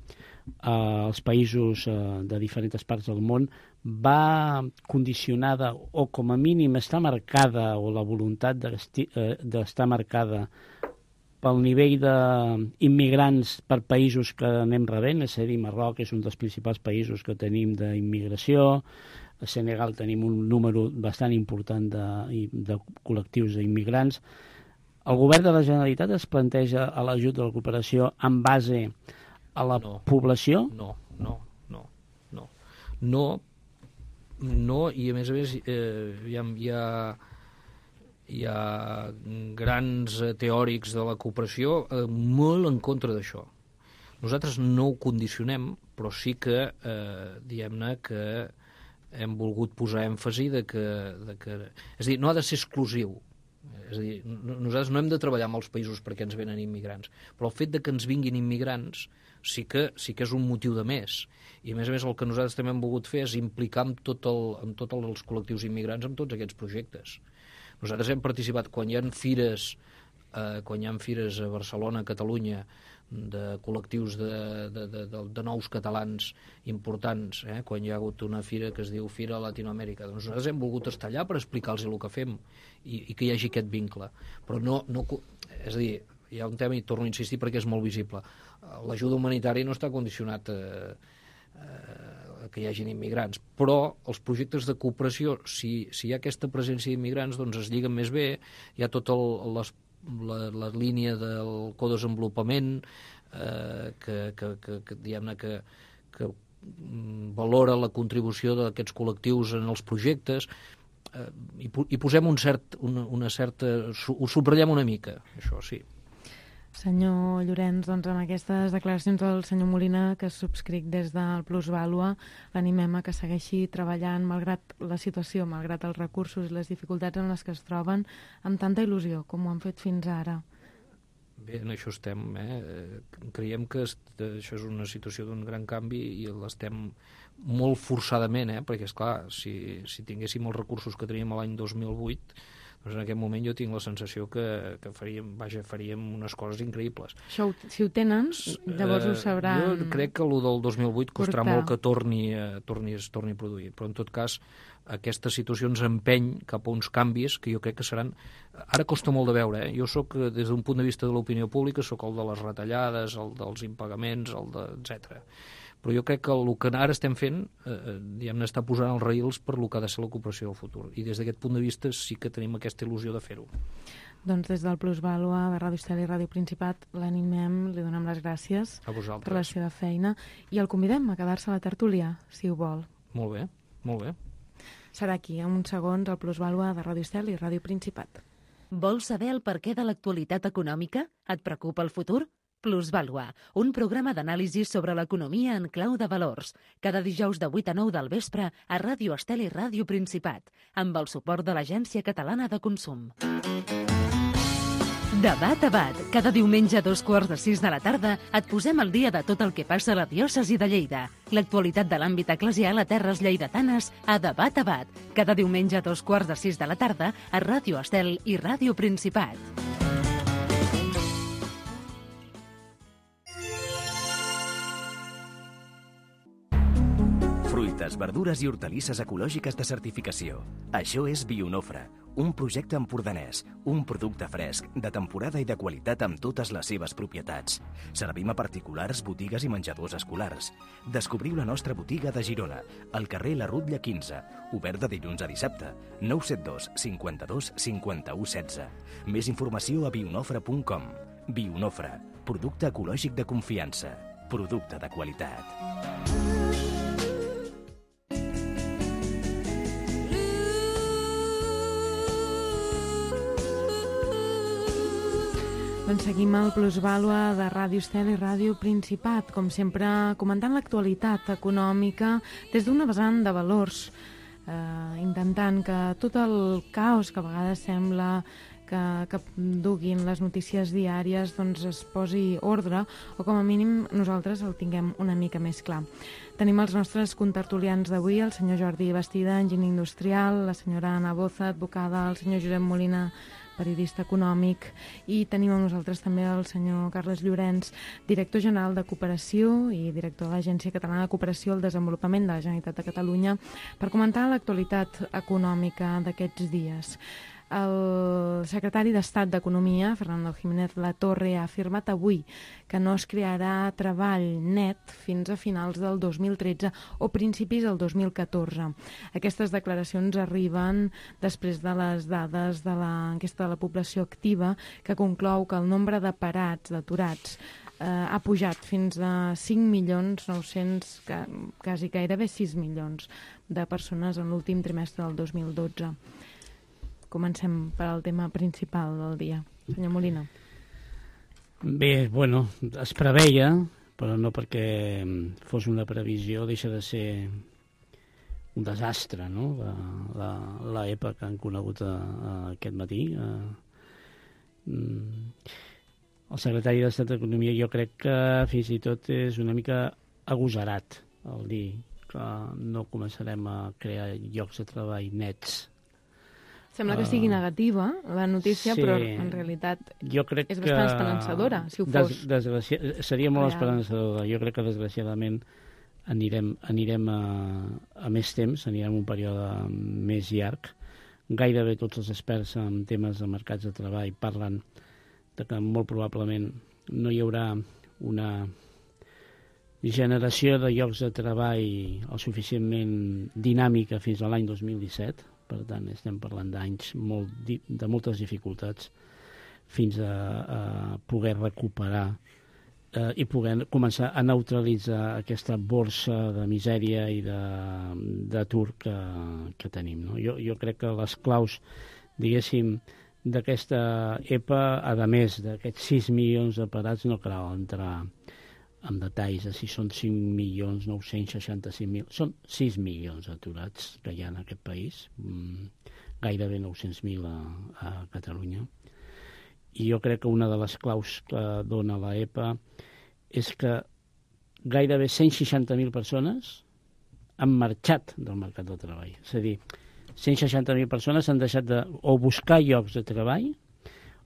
als països de diferents parts del món va condicionada o, com a mínim, està marcada, o la voluntat d'estar marcada pel nivell d'immigrants per països que anem rebent, és a dir, Marroc és un dels principals països que tenim d'immigració, a Senegal tenim un número bastant important de col·lectius d'immigrants. El govern de la Generalitat es planteja a l'ajut de la cooperació en base a la població? No, i a més hi ha grans teòrics de la cooperació molt en contra d'això. Nosaltres no ho condicionem, però sí que, diguem-ne, que hem volgut posar èmfasi de que... És a dir, no ha de ser exclusiu. És a dir, nosaltres no hem de treballar amb els països perquè ens venen immigrants, però el fet de que ens vinguin immigrants sí que és un motiu de més. I, a més, el que nosaltres també hem volgut fer és implicar amb tots els col·lectius immigrants en tots aquests projectes. Nosaltres hem participat quan hi ha fires a Barcelona, a Catalunya, de col·lectius de nous catalans importants, quan hi ha hagut una fira que es diu Fira Latinoamèrica. Doncs nosaltres hem volgut estar allà per explicar-los el que fem i que hi hagi aquest vincle. Però no, és a dir, hi ha un tema, i torno a insistir perquè és molt visible. L'ajuda humanitària no està condicionat que hi hagin immigrants, però els projectes de cooperació, si hi ha aquesta presència d'immigrants, doncs es lliguen més bé, hi ha totes les la línia del codesenvolupament, que diguem-ne que valora la contribució d'aquests col·lectius en els projectes, i posem una certa... ho subratllem una mica, això sí. Senyor Llorenç, doncs amb aquestes declaracions del senyor Molina, que subscric des del Plusvàlua, l'animem a que segueixi treballant malgrat la situació, malgrat els recursos i les dificultats en les que es troben, amb tanta il·lusió com ho han fet fins ara. Bé, en això estem. Creiem que això és una situació d'un gran canvi i l'estem molt forçadament, perquè, esclar, si tinguéssim els recursos que teníem l'any 2008, doncs en aquest moment jo tinc la sensació que faríem unes coses increïbles. Això, si ho tenen, llavors ho sabran... Jo crec que el del 2008 costarà molt que torni a produir, però en tot cas aquesta situació ens empeny cap a uns canvis que jo crec que seran... Ara costa molt de veure, Jo soc, des d'un punt de vista de l'opinió pública, soc el de les retallades, el dels impagaments, etc. Però jo crec que el que ara estem fent, diguem-ne, està posant els raïls per el que ha de ser la cooperació del futur. I des d'aquest punt de vista sí que tenim aquesta il·lusió de fer-ho. Doncs des del Plusvàlua de Ràdio Estel i Ràdio Principat l'animem, li donem les gràcies per la seva feina i el convidem a quedar-se a la tertúlia, si ho vol. Molt bé, molt bé. Serà aquí, en uns segons, al Plusvàlua de Ràdio Estel i Ràdio Principat. Vols saber el perquè de l'actualitat econòmica? Et preocupa el futur? Plusvàlua, un programa d'anàlisi sobre l'economia en clau de valors. Cada dijous de 8 a 9 del vespre a Ràdio Estel i Ràdio Principat, amb el suport de l'Agència Catalana de Consum. Debat a Bat. Cada diumenge a 5:45 de la tarda et posem al dia de tot el que passa a la diòcesi de Lleida. L'actualitat de l'àmbit eclesial a terres lleidatanes a Debat a Bat. Cada diumenge a 5:45 de la tarda a Ràdio Estel i Ràdio Principat. Fruites, verdures i hortalisses ecològiques de certificació. Això és Bionofre, un projecte empordanès, un producte fresc, de temporada i de qualitat amb totes les seves propietats. Servim a particulars, botigues i menjadors escolars. Descobriu la nostra botiga de Girona, al carrer La Rutlla 15, obert de dilluns a dissabte, 972 52 51 16. Més informació a bionofre.com. Bionofre, producte ecològic de confiança, producte de qualitat. Doncs seguim al Plusvàlua de Ràdio Estel i Ràdio Principat, com sempre comentant l'actualitat econòmica des d'una vessant de valors, intentant que tot el caos que a vegades sembla que duguin les notícies diàries doncs es posi ordre, o com a mínim nosaltres el tinguem una mica més clar. Tenim els nostres contertulians d'avui, el senyor Jordi Bastida, enginyer industrial, la senyora Anna Boza, advocada, el senyor Josep Molina, periodista econòmic, i tenim amb nosaltres també el senyor Carles Llorenç, director general de Cooperació i director de l'Agència Catalana de Cooperació al Desenvolupament de la Generalitat de Catalunya, per comentar l'actualitat econòmica d'aquests dies. El secretari d'Estat d'Economia, Fernando Jiménez Latorre, ha afirmat avui que no es crearà treball net fins a finals del 2013 o principis del 2014. Aquestes declaracions arriben després de les dades de l'enquesta de la població activa, que conclou que el nombre de parats, d'aturats, ha pujat fins a 5.900.000, quasi gairebé 6 milions de persones en l'últim trimestre del 2012. Comencem per al tema principal del dia. Senyor Molina. Bé, bueno, es preveia, però no perquè fos una previsió, deixa de ser un desastre, no?, l'EPA que han conegut aquest matí. El secretari d'Estat d'Economia jo crec que fins i tot és una mica agosarat el dir que no començarem a crear llocs de treball nets. Sembla que sigui negativa la notícia, sí, però en realitat és bastant esperançadora, si ho fos. Seria molt esperançadora. Jo crec que desgraciadament anirem a més temps, anirem a un període més llarg. Gairebé tots els experts en temes de mercats de treball parlen de que molt probablement no hi haurà una generació de llocs de treball el suficientment dinàmica fins a l'any 2017. Per tant, estem parlant d'anys de moltes dificultats fins a poder recuperar i poder començar a neutralitzar aquesta borsa de misèria i d'atur que tenim. No? Jo crec que les claus, diguéssim, d'aquesta EPA, a més d'aquests 6 milions de parats, no cal entrar en detalls de si són 5.965.000, són 6 milions d'aturats que hi ha en aquest país, gairebé 900.000 a Catalunya. I jo crec que una de les claus que dona la EPA és que gairebé 160.000 persones han marxat del mercat del treball. És a dir, 160.000 persones han deixat de o buscar llocs de treball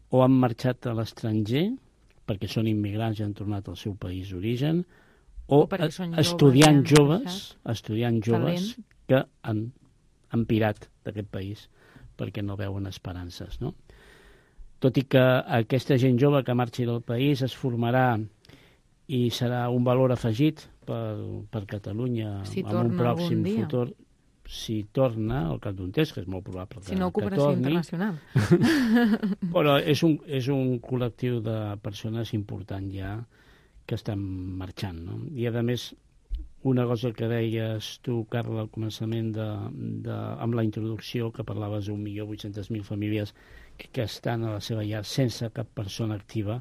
o han marxat a l'estranger perquè són immigrants i han tornat al seu país d'origen, o estudiants joves que han pirat d'aquest país perquè no veuen esperances, no? Tot i que aquesta gent jove que marxi del país es formarà i serà un valor afegit per Catalunya en un pròxim futur, si torna al cap d'un temps, que és molt probable que torni. Si no, cooperació internacional. Però és un col·lectiu de persones important ja que estan marxant, no? I a més, una cosa que deies tu, Carla, al començament amb la introducció, que parlaves d'1.800.000 famílies que estan a la seva llar sense cap persona activa,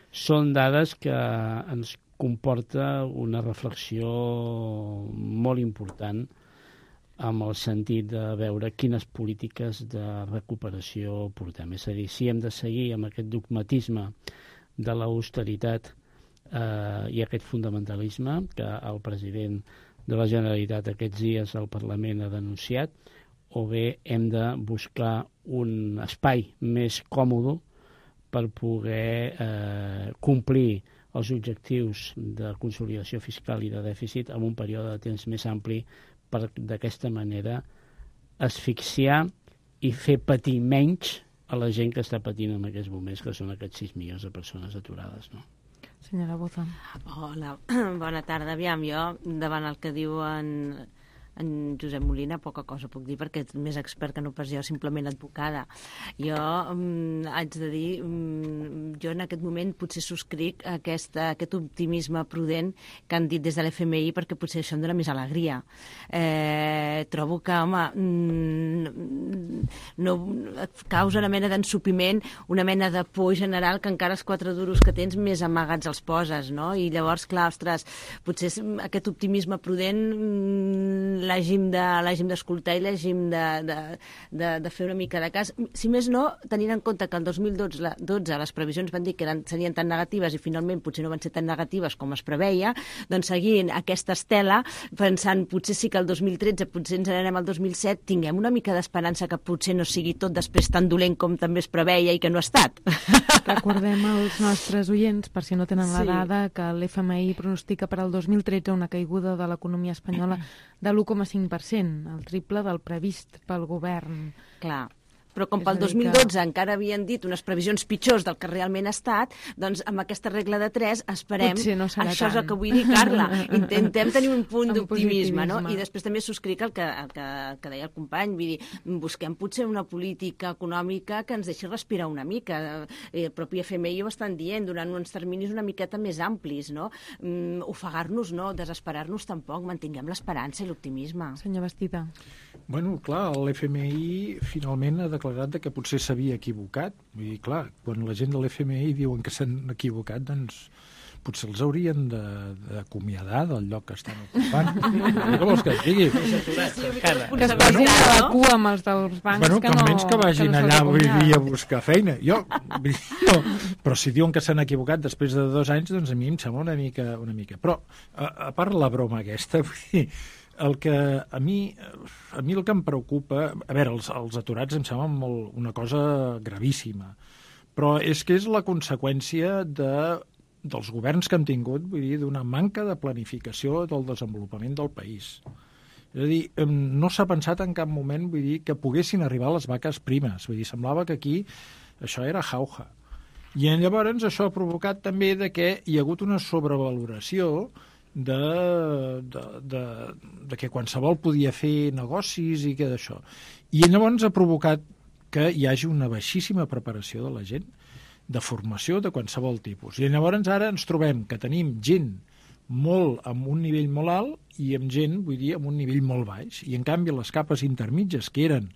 són dades que ens comporta una reflexió molt important amb el sentit de veure quines polítiques de recuperació portem. És a dir, si hem de seguir amb aquest dogmatisme de l'austeritat i aquest fonamentalisme que el president de la Generalitat aquests dies al Parlament ha denunciat, o bé hem de buscar un espai més còmode per poder complir els objectius de consolidació fiscal i de dèficit en un període de temps més ampli, per d'aquesta manera asfixiar i fer patir menys a la gent que està patint en aquests moments, que són aquests 6 milions de persones aturades, no? Senyora Boza. Hola, bona tarda. Aviam, jo, davant el que diu en Josep Molina, poca cosa puc dir, perquè és més expert que no pas jo, simplement advocada. Jo haig de dir, jo en aquest moment potser subscric aquest optimisme prudent que han dit des de l'FMI, perquè potser això em dona més alegria. Trobo que, home, no causa una mena d'ensupiment, una mena de por general, que encara els 4 duros que tens més amagats els poses, no? I llavors, clar, ostres, potser aquest optimisme prudent l'hàgim d'escoltar i l'hàgim de fer una mica de cas. Si més no, tenint en compte que el 2012 les previsions van dir que serien tan negatives i finalment potser no van ser tan negatives com es preveia, doncs seguint aquesta estela, pensant potser sí que el 2013, potser ens n'anem al 2007, tinguem una mica d'esperança que potser no sigui tot després tan dolent com també es preveia i que no ha estat. Recordem als nostres oients, per si no tenen la dada, que l'FMI pronostica per al 2013 una caiguda de l'economia espanyola de l'1,5%, el triple del previst pel govern. Clar. Però com pel 2012 encara havien dit unes previsions pitjors del que realment ha estat, doncs amb aquesta regla de 3 esperem... No això és el que vull dir, Carla. Intentem tenir un punt d'optimisme, no? I després també subscric el que deia el company, vull dir, busquem potser una política econòmica que ens deixi respirar una mica. El propi FMI ho estan dient, donant uns terminis una miqueta més amplis, no? Ofegar-nos no, desesperar-nos tampoc, mantinguem l'esperança i l'optimisme. Senyor Bastida. Bueno, clar, l'FMI finalment ha declarat que potser s'havia equivocat. Vull dir, clar, quan la gent de l'FMI diuen que s'han equivocat, doncs potser els haurien d'acomiadar del lloc que estan ocupant. Què vols que et digui? Que es posin a la cua amb els dels bancs que no... Almenys que vagin allà avui dia a buscar feina. Però si diuen que s'han equivocat després de 2 anys, doncs a mi em sembla una mica. Però, a part la broma aquesta, vull dir, a mi el que em preocupa... A veure, els aturats em semblen una cosa gravíssima, però és que és la conseqüència dels governs que hem tingut, vull dir, d'una manca de planificació del desenvolupament del país. És a dir, no s'ha pensat en cap moment, vull dir, que poguessin arribar les vaques primes. Vull dir, semblava que aquí això era jauja. I llavors això ha provocat també que hi ha hagut una sobrevaloració de que qualsevol podia fer negocis i que d'això. I llavors ha provocat que hi hagi una baixíssima preparació de la gent. de formació de qualsevol tipus. I llavors ara ens trobem que tenim gent molt amb un nivell molt alt i amb gent, vull dir, amb un nivell molt baix. I en canvi les capes intermitges, que eren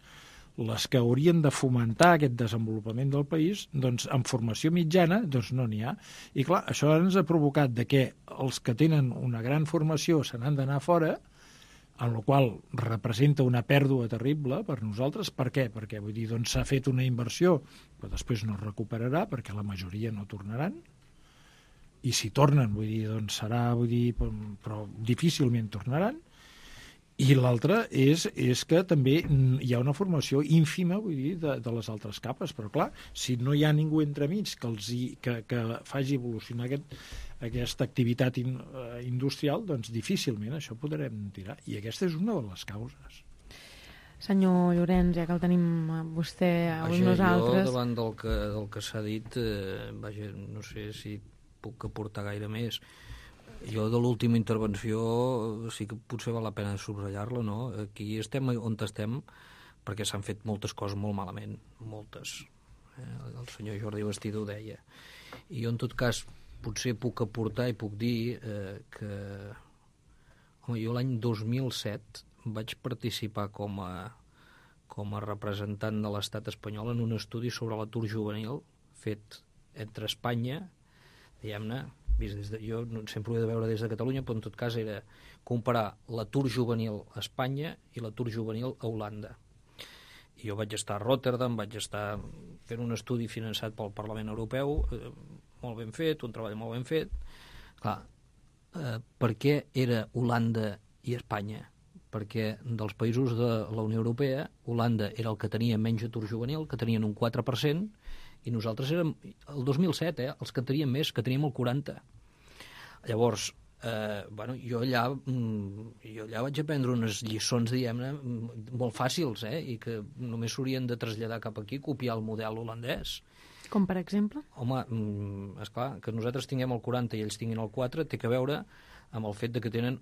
les que haurien de fomentar aquest desenvolupament del país, doncs amb formació mitjana doncs no n'hi ha. I clar, això ens ha provocat de que els que tenen una gran formació se n'han d'anar fora, en la qual representa una pèrdua terrible per nosaltres. Per què? Perquè vull dir, doncs, s'ha fet una inversió, però després no es recuperarà, perquè la majoria no tornaran, i si tornen, vull dir, doncs serà, vull dir, però difícilment tornaran. I l'altre és que també hi ha una formació ínfima, vull dir, de les altres capes, però clar, si no hi ha ningú entremig que faci evolucionar aquesta activitat industrial, doncs difícilment això podrem tirar. I aquesta és una de les causes. Senyor Llorenç, ja que el tenim vostè avui nosaltres... Jo, davant del que s'ha dit, vaja, no sé si puc aportar gaire més. Jo de l'última intervenció sí que potser val la pena subratllar-la, no? Aquí estem on estem perquè s'han fet moltes coses molt malament, moltes. El senyor Jordi Bastida ho deia. I jo, en tot cas, potser puc aportar i puc dir que... Home, jo l'any 2007 vaig participar com a representant de l'estat espanyol en un estudi sobre l'atur juvenil fet entre Espanya, diguem-ne, jo sempre ho he de veure des de Catalunya, però en tot cas era comparar l'atur juvenil a Espanya i l'atur juvenil a Holanda. I jo vaig estar a Rotterdam, vaig estar fent un estudi finançat pel Parlament Europeu, molt ben fet, un treball molt ben fet. Clar, per què era Holanda i Espanya? Perquè dels països de la Unió Europea, Holanda era el que tenia menys atur juvenil, que tenien un 4%, i nosaltres érem, el 2007, els que teníem més, que teníem el 40%. Llavors, jo allà vaig aprendre unes lliçons, diguem-ne, molt fàcils, i que només s'haurien de traslladar cap aquí, copiar el model holandès. Com per exemple? Home, esclar, que nosaltres tinguem el 40 i ells tinguin el 4 té que veure amb el fet de que tenen,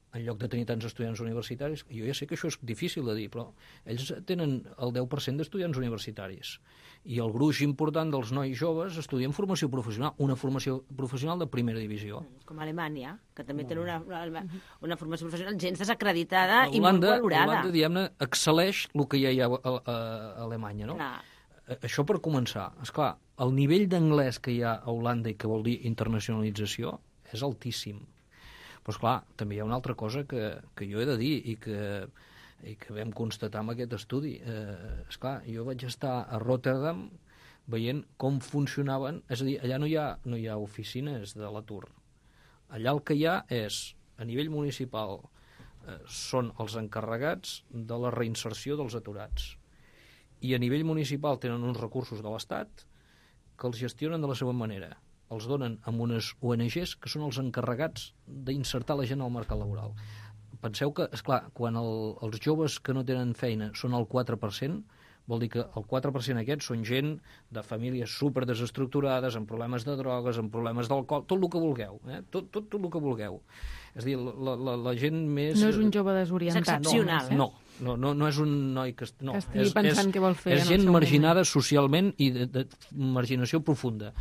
en lloc de tenir tants estudiants universitaris, jo ja sé que això és difícil de dir, però ells tenen el 10% d'estudiants universitaris i el gruix important dels nois joves estudien formació professional, una formació professional de primera divisió. Com a Alemanya, que també té una formació professional gens desacreditada i molt valorada. Holanda, diguem-ne, excel·leix el que ja hi ha a Alemanya, no? Això per començar. Esclar, el nivell d'anglès que hi ha a Holanda i que vol dir internacionalització és altíssim. Però, esclar, també hi ha una altra cosa que jo he de dir i que vam constatar amb aquest estudi. Esclar, jo vaig estar a Rotterdam veient com funcionaven, és a dir, allà no hi ha oficines de l'atur. Allà el que hi ha és, a nivell municipal, són els encarregats de la reinserció dels aturats. I a nivell municipal tenen uns recursos de l'Estat que els gestionen de la següent manera. Els donen amb unes ONGs que són els encarregats d'insertar la gent al mercat laboral. Penseu que, esclar, quan els joves que no tenen feina són el 4%, vol dir que el 4% aquests són gent de famílies super desestructurades, amb problemes de drogues, amb problemes d'alcohol, tot el que vulgueu, tot el que vulgueu. És a dir, la gent més... No és un jove desorientat. És excepcional, No és un noi que... No, que estigui pensant què vol fer. És gent marginada socialment i de marginació profunda.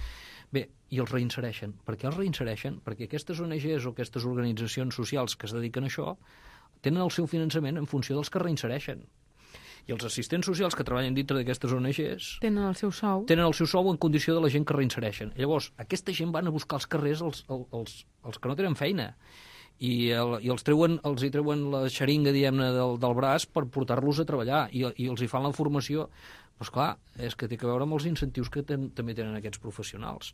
Bé, i els reinsereixen. Per què els reinsereixen? Perquè aquestes ONGs o aquestes organitzacions socials que es dediquen a això tenen el seu finançament en funció dels que reinsereixen. I els assistents socials que treballen dintre d'aquestes ONGs tenen el seu sou. Tenen el seu sou en condició de la gent que reinsereixen. Llavors, aquesta gent van a buscar als carrers els que no tenen feina i els hi treuen la xeringa, diguem-ne, del braç per portar-los a treballar i els hi fan la formació. Però, esclar, és que té que veure amb els incentius que també tenen aquests professionals.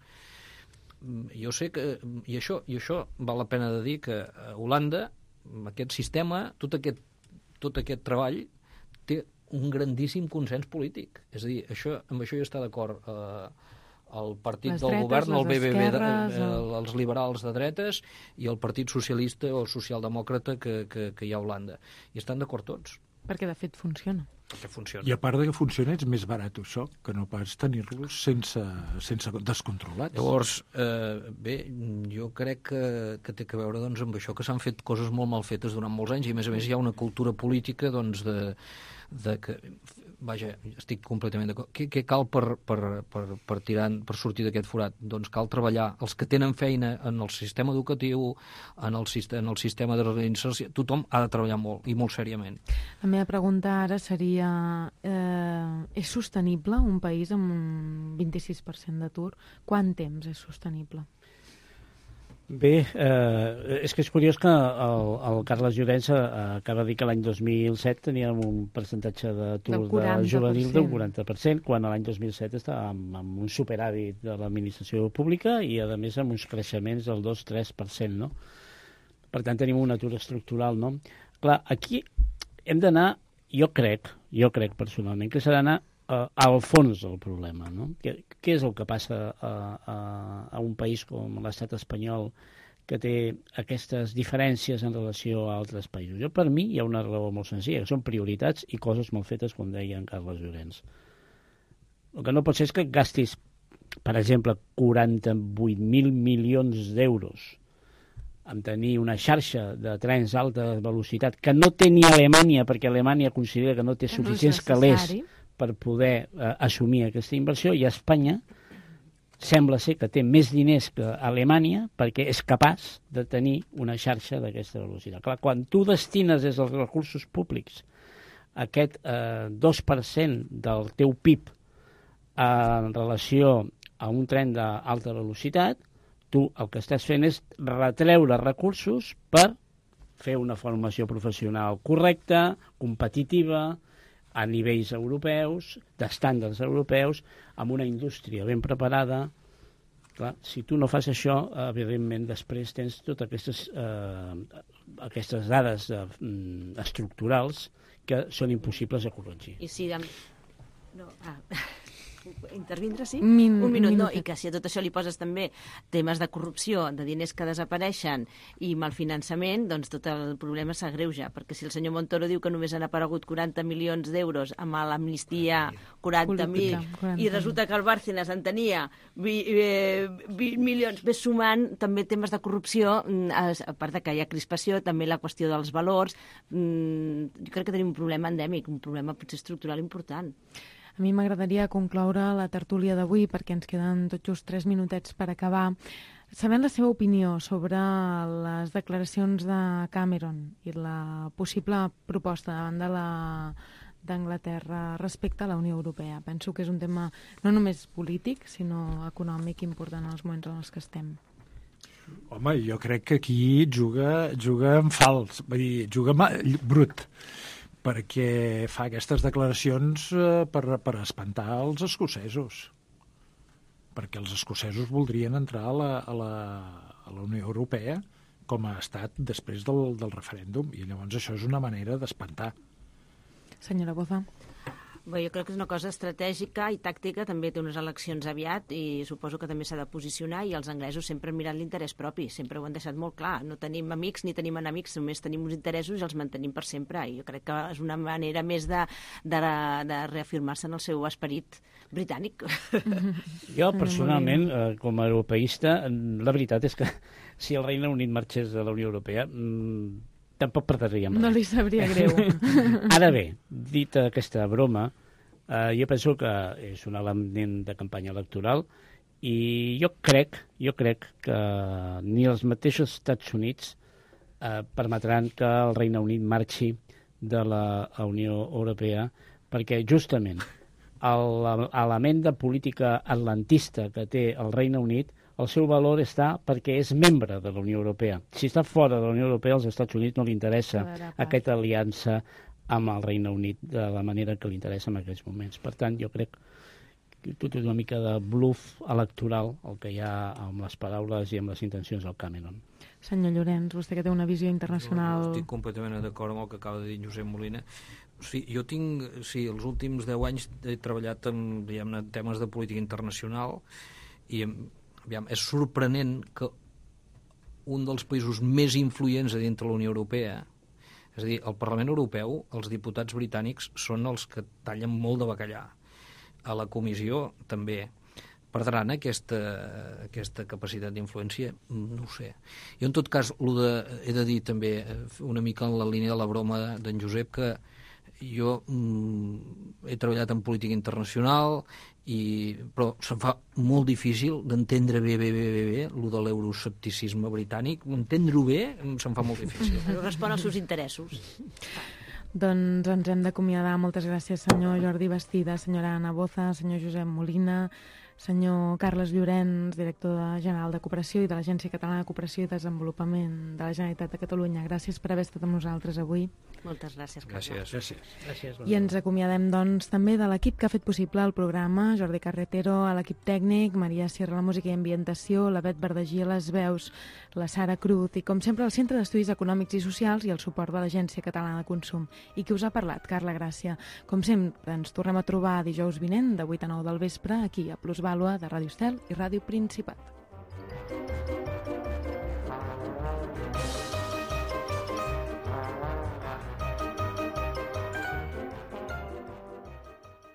Jo sé que... I això val la pena de dir que a Holanda, amb aquest sistema, tot aquest treball té un grandíssim consens polític. És a dir, amb això ja està d'acord el partit del govern, el BBB, els liberals de dretes i el partit socialista o socialdemòcrata que hi ha a Holanda. I estan d'acord tots. Perquè, de fet, funciona. Perquè funciona. I a part de que funciona, és més barat això, que no pas tenir-los sense descontrolats. Llavors, bé, jo crec que té que veure doncs, amb això, que s'han fet coses molt mal fetes durant molts anys, i a més hi ha una cultura política doncs, que vaja, estic completament d'acord. Què cal per sortir d'aquest forat? Doncs cal treballar. Els que tenen feina en el sistema educatiu, en el sistema de reinserció, tothom ha de treballar molt, i molt seriament. La meva pregunta ara seria, és sostenible un país amb un 26% d'atur? Quant temps és sostenible? Bé, és que és curiós que el Carles Llorens acaba de dir que l'any 2007 teníem un percentatge d'atur juvenil del 40%, quan l'any 2007 estàvem amb un superàvit de l'administració pública i, a més, amb uns creixements del 2-3%, no? Per tant, tenim un atur estructural, no? Clar, aquí hem d'anar, jo crec personalment, que s'ha d'anar al fons del problema, no? Què és el que passa a un país com l'estat espanyol que té aquestes diferències en relació a altres països? Per mi hi ha una raó molt senzilla, que són prioritats i coses mal fetes, com deia en Carles Llorens. El que no pot ser és que gastis, per exemple, 48.000 milions d'euros en tenir una xarxa de trens d'alta velocitat que no té ni Alemanya, perquè Alemanya considera que no té suficients calés per poder assumir aquesta inversió, i Espanya sembla ser que té més diners que Alemanya perquè és capaç de tenir una xarxa d'aquesta velocitat. Clar, quan tu destines des dels recursos públics aquest 2% del teu PIB en relació a un tren d'alta velocitat, tu el que estàs fent és retreure recursos per fer una formació professional correcta, competitiva, a nivells europeus, d'estàndards europeus, amb una indústria ben preparada. Clar, si tu no fas això, evidentment, després tens totes aquestes dades estructurals que són impossibles de corregir. I si... intervindre, sí? Un minut, no? I que si a tot això li poses també temes de corrupció, de diners que desapareixen i malfinançament, doncs tot el problema s'agreuja, perquè si el senyor Montoro diu que només han aparegut 40 milions d'euros amb l'amnistia 40.000 i resulta que el Bárcenas en tenia 20 milions, ves sumant també temes de corrupció, a part que hi ha crispació, també la qüestió dels valors. Jo crec que tenim un problema endèmic, un problema potser estructural important. A mi m'agradaria concloure la tertúlia d'avui, perquè ens queden tot just 3 minutets per acabar, sabent la seva opinió sobre les declaracions de Cameron i la possible proposta davant d'Anglaterra respecte a la Unió Europea. Penso que és un tema no només polític, sinó econòmic important en els moments en els que estem. Home, jo crec que aquí juga en fals, vull dir, juga brut, perquè fa aquestes declaracions per espantar els escocesos, perquè els escocesos voldrien entrar a la Unió Europea com a estat després del referèndum, i llavors això és una manera d'espantar. Senyora Boza. Bé, jo crec que és una cosa estratègica i tàctica, també té unes eleccions aviat i suposo que també s'ha de posicionar, i els anglesos sempre han mirat l'interès propi, sempre ho han deixat molt clar, no tenim amics ni tenim enemics, només tenim uns interessos i els mantenim per sempre, i jo crec que és una manera més de reafirmar-se en el seu esperit britànic. Jo, personalment, com a europeista, la veritat és que si el Regne Unit marxés de la Unió Europea, tampoc perdríem res. No li sabria greu. Ara bé, dita aquesta broma, jo penso que és un element de campanya electoral i jo crec que ni els mateixos Estats Units permetran que el Regne Unit marxi de la Unió Europea, perquè justament l'element de política atlantista que té el Regne Unit, el seu valor està perquè és membre de la Unió Europea. Si està fora de la Unió Europea, als Estats Units no li interessa aquesta aliança amb el Regne Unit de la manera que li interessa en aquests moments. Per tant, jo crec que tot és una mica de bluff electoral el que hi ha amb les paraules i amb les intencions del Cameron. Senyor Llorens, vostè que té una visió internacional... Estic completament d'acord amb el que acaba de dir Josep Molina. Jo tinc, els últims 10 anys he treballat en temes de política internacional i és sorprenent que un dels països més influents a dintre la Unió Europea, és a dir, el Parlament Europeu, els diputats britànics són els que tallen molt de bacallà. A la comissió també perdran aquesta capacitat d'influència? No ho sé. Jo, en tot cas, he de dir també una mica en la línia de la broma d'en Josep, que jo he treballat en política internacional, però se'm fa molt difícil d'entendre bé lo de l'euroscepticisme britànic. Entendre-ho bé se'm fa molt difícil. Però respon als seus interessos. Doncs ens hem d'acomiadar. Moltes gràcies, senyor Jordi Bastida, senyora Anna Boza, senyor Josep Molina, senyor Carles Llorenç, director general de Cooperació i de l'Agència Catalana de Cooperació i Desenvolupament de la Generalitat de Catalunya. Gràcies per haver estat amb nosaltres avui. Moltes gràcies. Gràcies. I ens acomiadem, doncs, també de l'equip que ha fet possible el programa, Jordi Carretero a l'equip tècnic, Maria Sierra a la música i ambientació, la Bet Verdagí a les veus, la Sara Cruz i, com sempre, el Centre d'Estudis Econòmics i Socials i el suport de l'Agència Catalana de Consum. I qui us ha parlat? Carla Gràcia. Com sempre, ens tornem a trobar dijous vinent de 8 a 9 del vespre aquí a Plusvàlua de Ràdio Estel i Ràdio Principat.